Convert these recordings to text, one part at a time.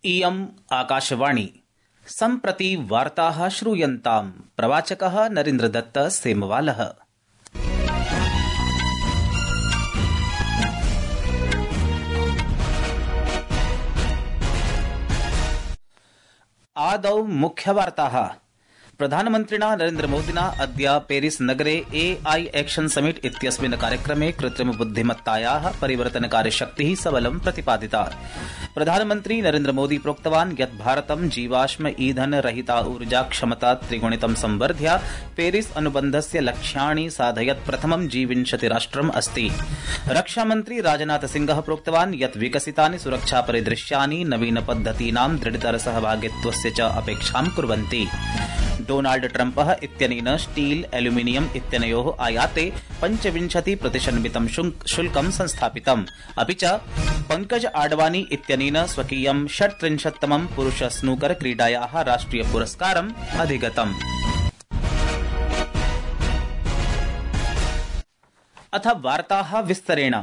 इयम् आकाशवाणी। सम्प्रति वार्ताः श्रूयन्ताम्। प्रवाचकः नरेन्द्रदत्त सेमवालः। आदौ मुख्यवार्ताः। प्रधानमन्त्रिणा नरेन्द्रमोदिना अद्य पेरिस नगरे AI एक्शन समिट इत्यस्मिन् कार्यक्रमे कृत्रिमबुद्धिमत्तायाः परिवर्तनकारिशक्तिः सबलं प्रतिपादिता। प्रधानमन्त्री नरेन्द्रमोदी प्रोक्तवान् यत् भारतं जीवाश्म ईंधन रहिता ऊर्जा क्षमता त्रिगुणितं संवर्ध्य पेरिस अनुबन्धस्य लक्ष्याणि साधयत् प्रथमं G20 राष्ट्रम् अस्ति। रक्षामन्त्री राजनाथ सिंहः प्रोक्तवान् यत् विकसितानि सुरक्षा परिदृश्यानि नवीन पद्धतीनां दृढतर सहभागित्वस्य च अपेक्षां कुर्वन्ति। डोनाल्ड ट्रम्पः इत्यनेन स्टील एल्यूमिनियम इत्यनयोः आयाते 25% शुल्कं संस्थापितम्। अपि च पंकज आडवाणी इत्यनेन स्वकीयं 36तमं पुरुष स्नूकर क्रीडायाः राष्ट्रिय पुरस्कारम् अधिगतम्। अथ वार्ताः विस्तरेण।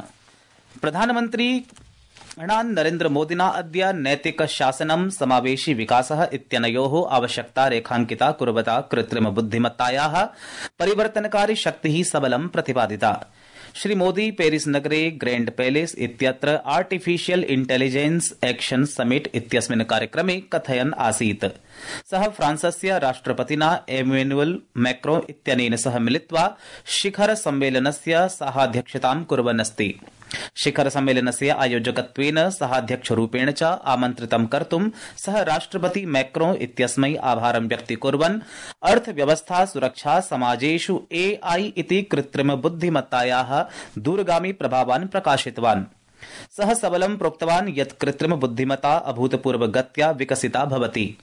प्रधानमन्त्री नरेन्द्र मोदिना अद्य नैतिक शासनं समावेशी विकासः इत्यनयोः आवश्यकता रेखांकिता कुर्वता कृत्रिम बुद्धिमत्तायाः परिवर्तनकारी शक्तिः सबलं प्रतिपादिता। श्री मोदी पेरिस नगरे ग्रैंड पैलेस इत्यत्र आर्टिफिशियल इंटेलिजेंस एक्शन समिट इत्यस्मिन् कार्यक्रमे कथयन् आसीत्। सः फ्रांसस्य राष्ट्रपतिना एमेनुअल मैक्रोन इत्यनेन सह मिलित्वा शिखर सम्मेलनस्य सहाध्यक्षतां कुर्वन् अस्ति। शिखर सम्मेलनस्य आयोजकत्वेन सहाध्यक्षरूपेण च आमन्त्रितं कर्तुं सः राष्ट्रपति मैक्रोन इत्यस्मै आभारं व्यक्तीकुर्वन् अर्थव्यवस्था सुरक्षा समाजेषु AI इति कृत्रिम बुद्धिमत्तायाः दूरगामी प्रभावान् प्रकाशितवान्। सः सबलं प्रोक्तवान् यत् कृत्रिम बुद्धिमत्ता अभूतपूर्वगत्या विकसिता भवति।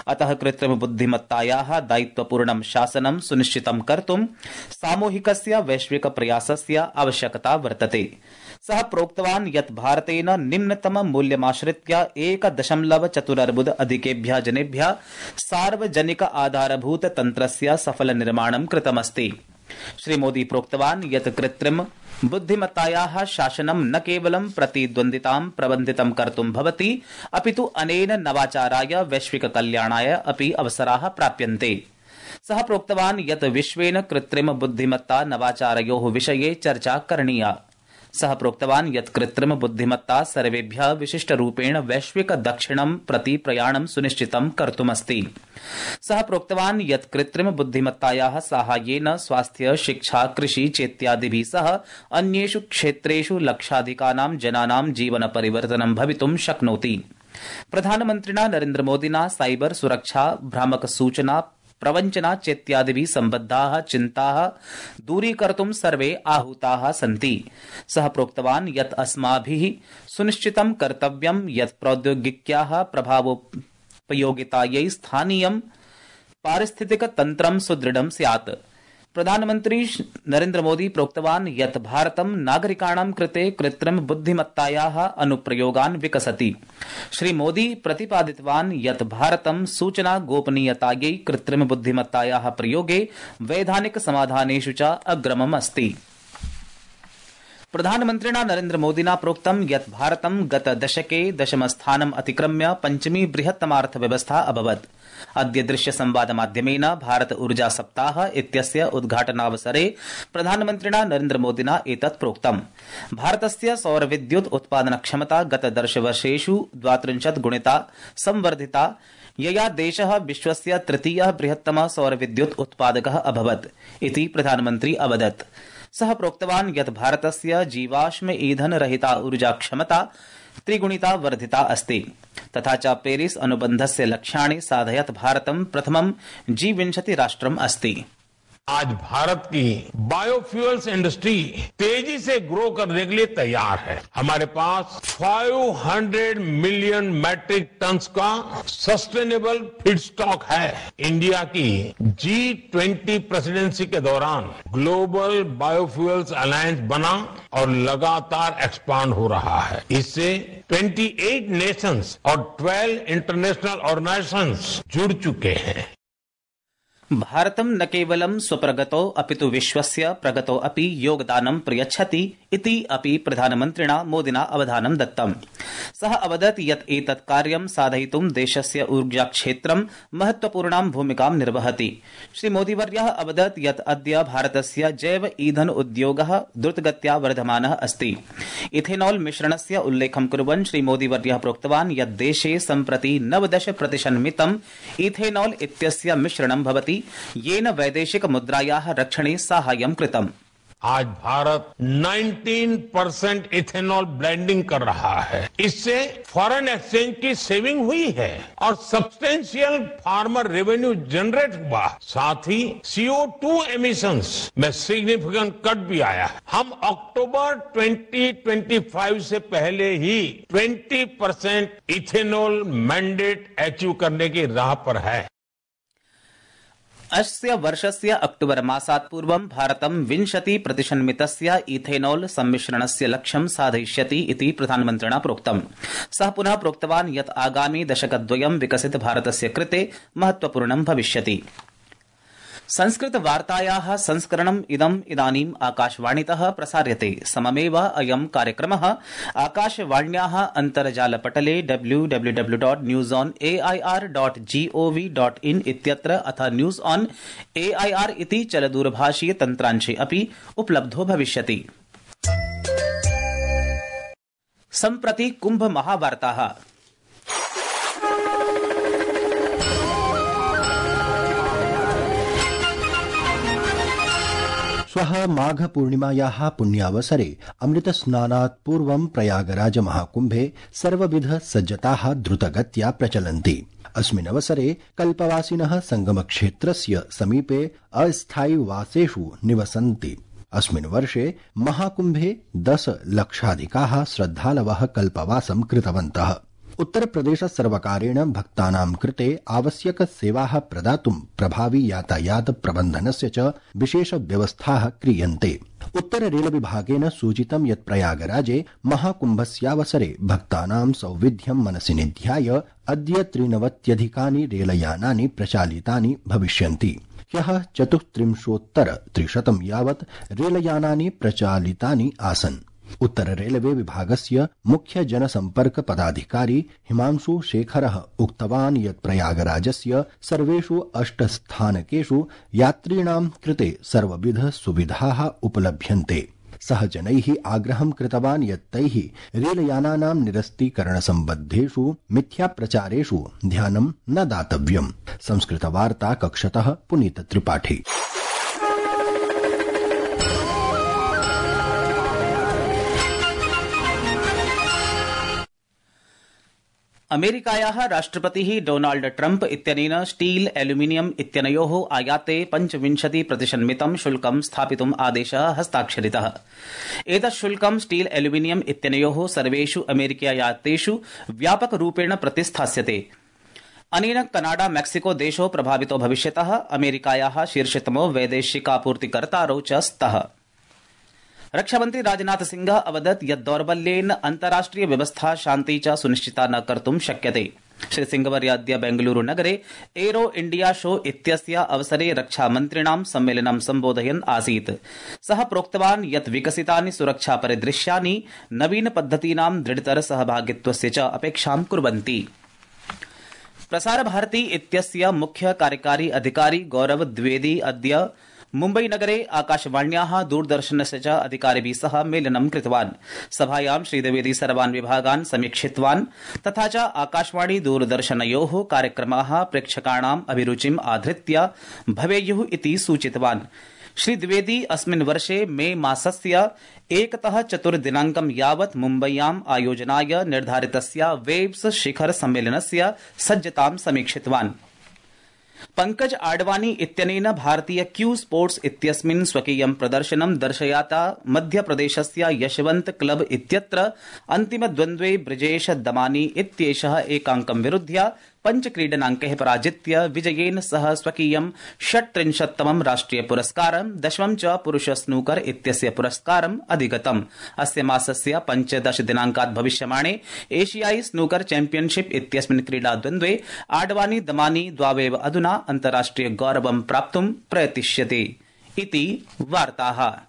अतः कृत्रिम बुद्धिमत्तायाः दायित्वपूर्णं शासनं सुनिश्चितं कर्तुं सामूहिकस्य वैश्विक प्रयासस्य आवश्यकता वर्तते। सः प्रोक्तवान् यत् भारतेन निम्नतम मूल्यमाश्रित्य 1.4 अधिकेभ्यः जनेभ्यः सार्वजनिक आधारभूत तन्त्रस्य सफल निर्माणं कृतमस्ति। श्री मोदी प्रोक्तवान् यत् कृत्रिम बुद्धिमत्तायाः शासनं न केवलं प्रतिद्वन्द्वितां प्रबन्धितं कर्तुं भवति, अपितु अनेन नवाचाराय वैश्विक कल्याणाय अपि अवसराः प्राप्यन्ते। सः प्रोक्तवान् यत् विश्वेन कृत्रिम बुद्धिमत्ता नवाचारयोः विषये चर्चा करणीया। सः प्रोक्तवान् यत् कृत्रिम बुद्धिमत्ता सर्वेभ्यः विशिष्टरूपेण वैश्विक दक्षिणं प्रति प्रयाणं सुनिश्चितं कर्तुमस्ति। सः प्रोक्तवान् यत् कृत्रिम बुद्धिमत्तायाः साहाय्येन स्वास्थ्य शिक्षा कृषि चेत्यादिभिः सह अन्येषु क्षेत्रेषु लक्षाधिकानां जनानां जीवन परिवर्तनं भवितुं शक्नोति। प्रधानमन्त्रिणा नरेन्द्रमोदिना साइबर सुरक्षा भ्रामक सूचना प्रवञ्चना चेत्यादिभिः सम्बद्धाः चिन्ताः दूरीकर्तुं सर्वे आहूताः सन्ति। सः प्रोक्तवान् यत् अस्माभिः सुनिश्चितं कर्तव्यं यत् प्रौद्योगिक्याः प्रभावोपयोगितायै स्थानीयं पारिस्थितिकतन्त्रं सुदृढं स्यात्। प्रधानमन्त्री नरेन्द्र मोदी प्रोक्तवान् यत् भारतं नागरिकाणां कृते कृत्रिम बुद्धिमत्तायाः अनुप्रयोगान् विकसति। श्री मोदी प्रतिपादितवान् यत् भारतं सूचना गोपनीयतायै कृत्रिम बुद्धिमत्तायाः प्रयोगे वैधानिक समाधानेषु च अग्रमम् अस्ति। प्रधानमन्त्रिणा नरेन्द्र मोदिना प्रोक्तं यत् भारतं गत दशके दशमस्थानम् अतिक्रम्य पञ्चमी बृहत्तमार्थव्यवस्था अभवत्। अद्य दृश्य संवाद माध्यमेन भारत ऊर्जा सप्ताह इत्यस्य उद्घाटनावसरे प्रधानमन्त्रिणा नरेन्द्र मोदिना एतत् प्रोक्तम्। भारतस्य सौरविद्युत् उत्पादनक्षमता गत दशवर्षेषु 32 गुणिता संवर्धिता, यया देशः विश्वस्य तृतीयः बृहत्तमः सौरविद्युत् उत्पादकः अभवत् इति प्रधानमन्त्री अवदत्। सः प्रोक्तवान् यत् भारतस्य जीवाश्म ईंधन रहिता ऊर्जा क्षमता त्रिगुणिता वर्धिता अस्ति। तथा च पेरिस अनुबन्धस्य लक्ष्याणि साधयत् भारतं प्रथमं G20 राष्ट्रम् अस्ति। आज भारत की बायोफ्यूल्स इंडस्ट्री तेजी से ग्रो करने के लिए तैयार है। हमारे पास 500 मिलियन मैट्रिक टन्स का सस्टेनेबल फीड स्टॉक है। इंडिया की G20 प्रेसिडेंसी के दौरान ग्लोबल बायोफ्यूल्स अलायंस बना और लगातार एक्सपांड हो रहा है। इससे 28 नेशंस और 12 इंटरनेशनल ऑर्गेनाइजेशंस जुड़ चुके हैं। भारतं न केवलं स्वप्रगतौ अपितु विश्वस्य प्रगतौ अपि योगदानं प्रयच्छति इति अपि प्रधानमन्त्रिणा मोदिना अवधानं दत्तम्। सः अवदत् यत् एतत् कार्यं साधयितुं देशस्य ऊर्जाक्षेत्रं महत्वपूर्णां भूमिकां निर्वहति। श्रीमोदीवर्यः अवदत् यत् अद्य भारतस्य जैव ईंधन उद्योगः द्रुतगत्या वर्धमानः अस्ति। इथेनॉल मिश्रणस्य उल्लेखं कुर्वन् श्रीमोदीवर्यः प्रोक्तवान् यत् देशे सम्प्रति 90% इथेनॉल इत्यस्य मिश्रणं भवति, येन वैदेशिक मुद्रायाः रक्षणे साहाय्यं कृतम्। आज भारत 19% इथेनॉल ब्लेंडिंग कर रहा है। इससे फॉरेन एक्सचेंज की सेविंग हुई है और सब्सटेंशियल फार्मर रेवेन्यू जनरेट हुआ। साथ ही CO2 एमिशंस में सिग्निफिकेंट कट भी आया है। हम अक्टूबर 2025 से पहले ही 20% इथेनॉल मैंडेट अचीव करने की राह पर है। अस्य वर्षस्य अक्टूबर मासात् पूर्वं भारतं 20% इथेनॉल सम्मिश्रणस्य लक्ष्यं साधयिष्यति इति प्रधानमन्त्रिणा प्रोक्तम्। सः पुनः प्रोक्तवान् यत् आगामि दशकद्वयं विकसित भारतस्य कृते महत्वपूर्णं भविष्यति। संस्कृत वार्तायाः संस्करणम् इदानीम् आकाशवाणीतः प्रसार्यते। सममेव अयं कार्यक्रमः आकाशवाण्याः अन्तर्जालपटले www.newsonair.gov.in इत्यत्र अथ न्यूज ऑन AIR इति चलदूरभाषीय तन्त्रांशे अपि उपलब्धो भविष्यति। सम्प्रति कुम्भ महावार्ताः। श्वः माघ पूर्णिमायाः पुण्यावसरे अमृतस्नानात् पूर्वं प्रयागराज महाकुम्भे सर्वविध सज्जताः द्रुतगत्या प्रचलन्ति। अस्मिन् अवसरे कल्पवासिनः संगमक्षेत्रस्य समीपे अस्थायिवासेषु निवसन्ति। अस्मिन् वर्षे महाकुम्भे 10 लक्षाधिकाः श्रद्धालवः कल्पवासं कृतवन्तः। उत्तरप्रदेश सर्वकारेण भक्तानां कृते आवश्यक सेवाः प्रदातुं प्रभावी यातायात प्रबन्धनस्य च विशेष व्यवस्थाः क्रियन्ते। उत्तर रेल विभागेन सूचितं यत् प्रयागराजे महाकुम्भस्यावसरे भक्तानां सौविध्यं मनसि निध्याय अद्य 93 रेलयानानि प्रचालितानि भविष्यन्ति। ह्यः 34,300 यावत् रेलयानानि प्रचालितानि आसन्। उत्तर रेलवे विभागस्य मुख्य जनसम्पर्क पदाधिकारी हिमांशु शेखरः उक्तवान् यत् प्रयागराजस्य सर्वेषु 8 स्थानकेषु यात्रिणां कृते सर्वविध सुविधाः उपलभ्यन्ते। सः जनैः आग्रहं कृतवान् यत् तैः रेलयानानां निरस्तीकरणसम्बद्धेषु मिथ्याप्रचारेषु ध्यानं न दातव्यम्। संस्कृतवार्ता कक्षतः पुनीत त्रिपाठी। अमेरिकायाः राष्ट्रपतिः डोनाल्ड ट्रम्प इत्यनेन स्टील एल्यूमिनियम इत्यनयोः आयाते 25% शुल्कं स्थापितुम् आदेशः हस्ताक्षरितः। एतत् शुल्कं स्टील एल्यूमिनियम इत्यनयोः सर्वेषु अमेरिकीयायातेषु व्यापकरूपेण प्रतिस्थास्यते। अनेन कनाडा मैक्सिको देशो प्रभावितो भविष्यतः। अमेरिकायाः शीर्षतमो वैदेशिकापूर्तिकर्तारौ च स्तः। रक्षामन्त्री राजनाथ सिंह अवदत् यत् दौर्बल्येन अन्ताराष्ट्रिय व्यवस्था शान्ति च सुनिश्चिता न कर्तुं शक्यते। श्री सिंहवर्य अद्य बेंगलुरु नगरे एरो इंडिया शो इत्यस्य अवसरे रक्षामन्त्रिणां सम्मेलनं सम्बोधयन् आसीत्। सः प्रोक्तवान् यत् विकसितानि सुरक्षा परिदृश्यानि नवीन पद्धतीनां दृढतर सहभागित्वस्य च अपेक्षां कुर्वन्ति। प्रसार भारती इत्यस्य मुख्य कार्यकारी अधिकारी गौरव द्विवेदी अद्य मुम्बई नगरे आकाशवाण्याः दूरदर्शनस्य च अधिकारिभिः सह मेलनं कृतवान्। सभायां श्रीद्विवेदी सर्वान् विभागान् समीक्षितवान् तथा च आकाशवाणी दूरदर्शनयोः कार्यक्रमाः प्रेक्षकाणाम् अभिरुचिम् आधृत्य भवेयुः इति सूचितवान्। श्रीद्विवेदी अस्मिन् वर्षे मे मासस्य 1 तः 4 दिनाङ्कं यावत् मुम्बय्याम् आयोजनाय निर्धारितस्य वेब्स शिखर सम्मेलनस्य सज्जतां समीक्षितवान्। पंकज आडवाणी इत्यनेन भारतीय क्यू स्पोर्ट्स इत्यस्मिन् स्वकीयं प्रदर्शनं दर्शयाता मध्यप्रदेशस्य यशवंत क्लब इत्यत्र अन्तिमद्वन्द्वे ब्रिजेश दमानी इत्येषः एकाङ्कं विरुध्य 5 क्रीडनाङ्कैः पराजित्य विजयेन सह स्वकीयं 36तमं राष्ट्रिय पुरस्कारं 10 च पुरुष स्नूकर इत्यस्य पुरस्कारम् अधिगतम्। अस्य मासस्य 15 दिनाङ्कात् भविष्यमाणे एशियाई स्नूकर चैम्पियनशिप इत्यस्मिन् क्रीडाद्वन्द्वे आडवाणी दमानी द्वावेव अधुना अन्ताराष्ट्रिय गौरवं प्राप्तुं प्रयतिष्यते इति वार्ताः।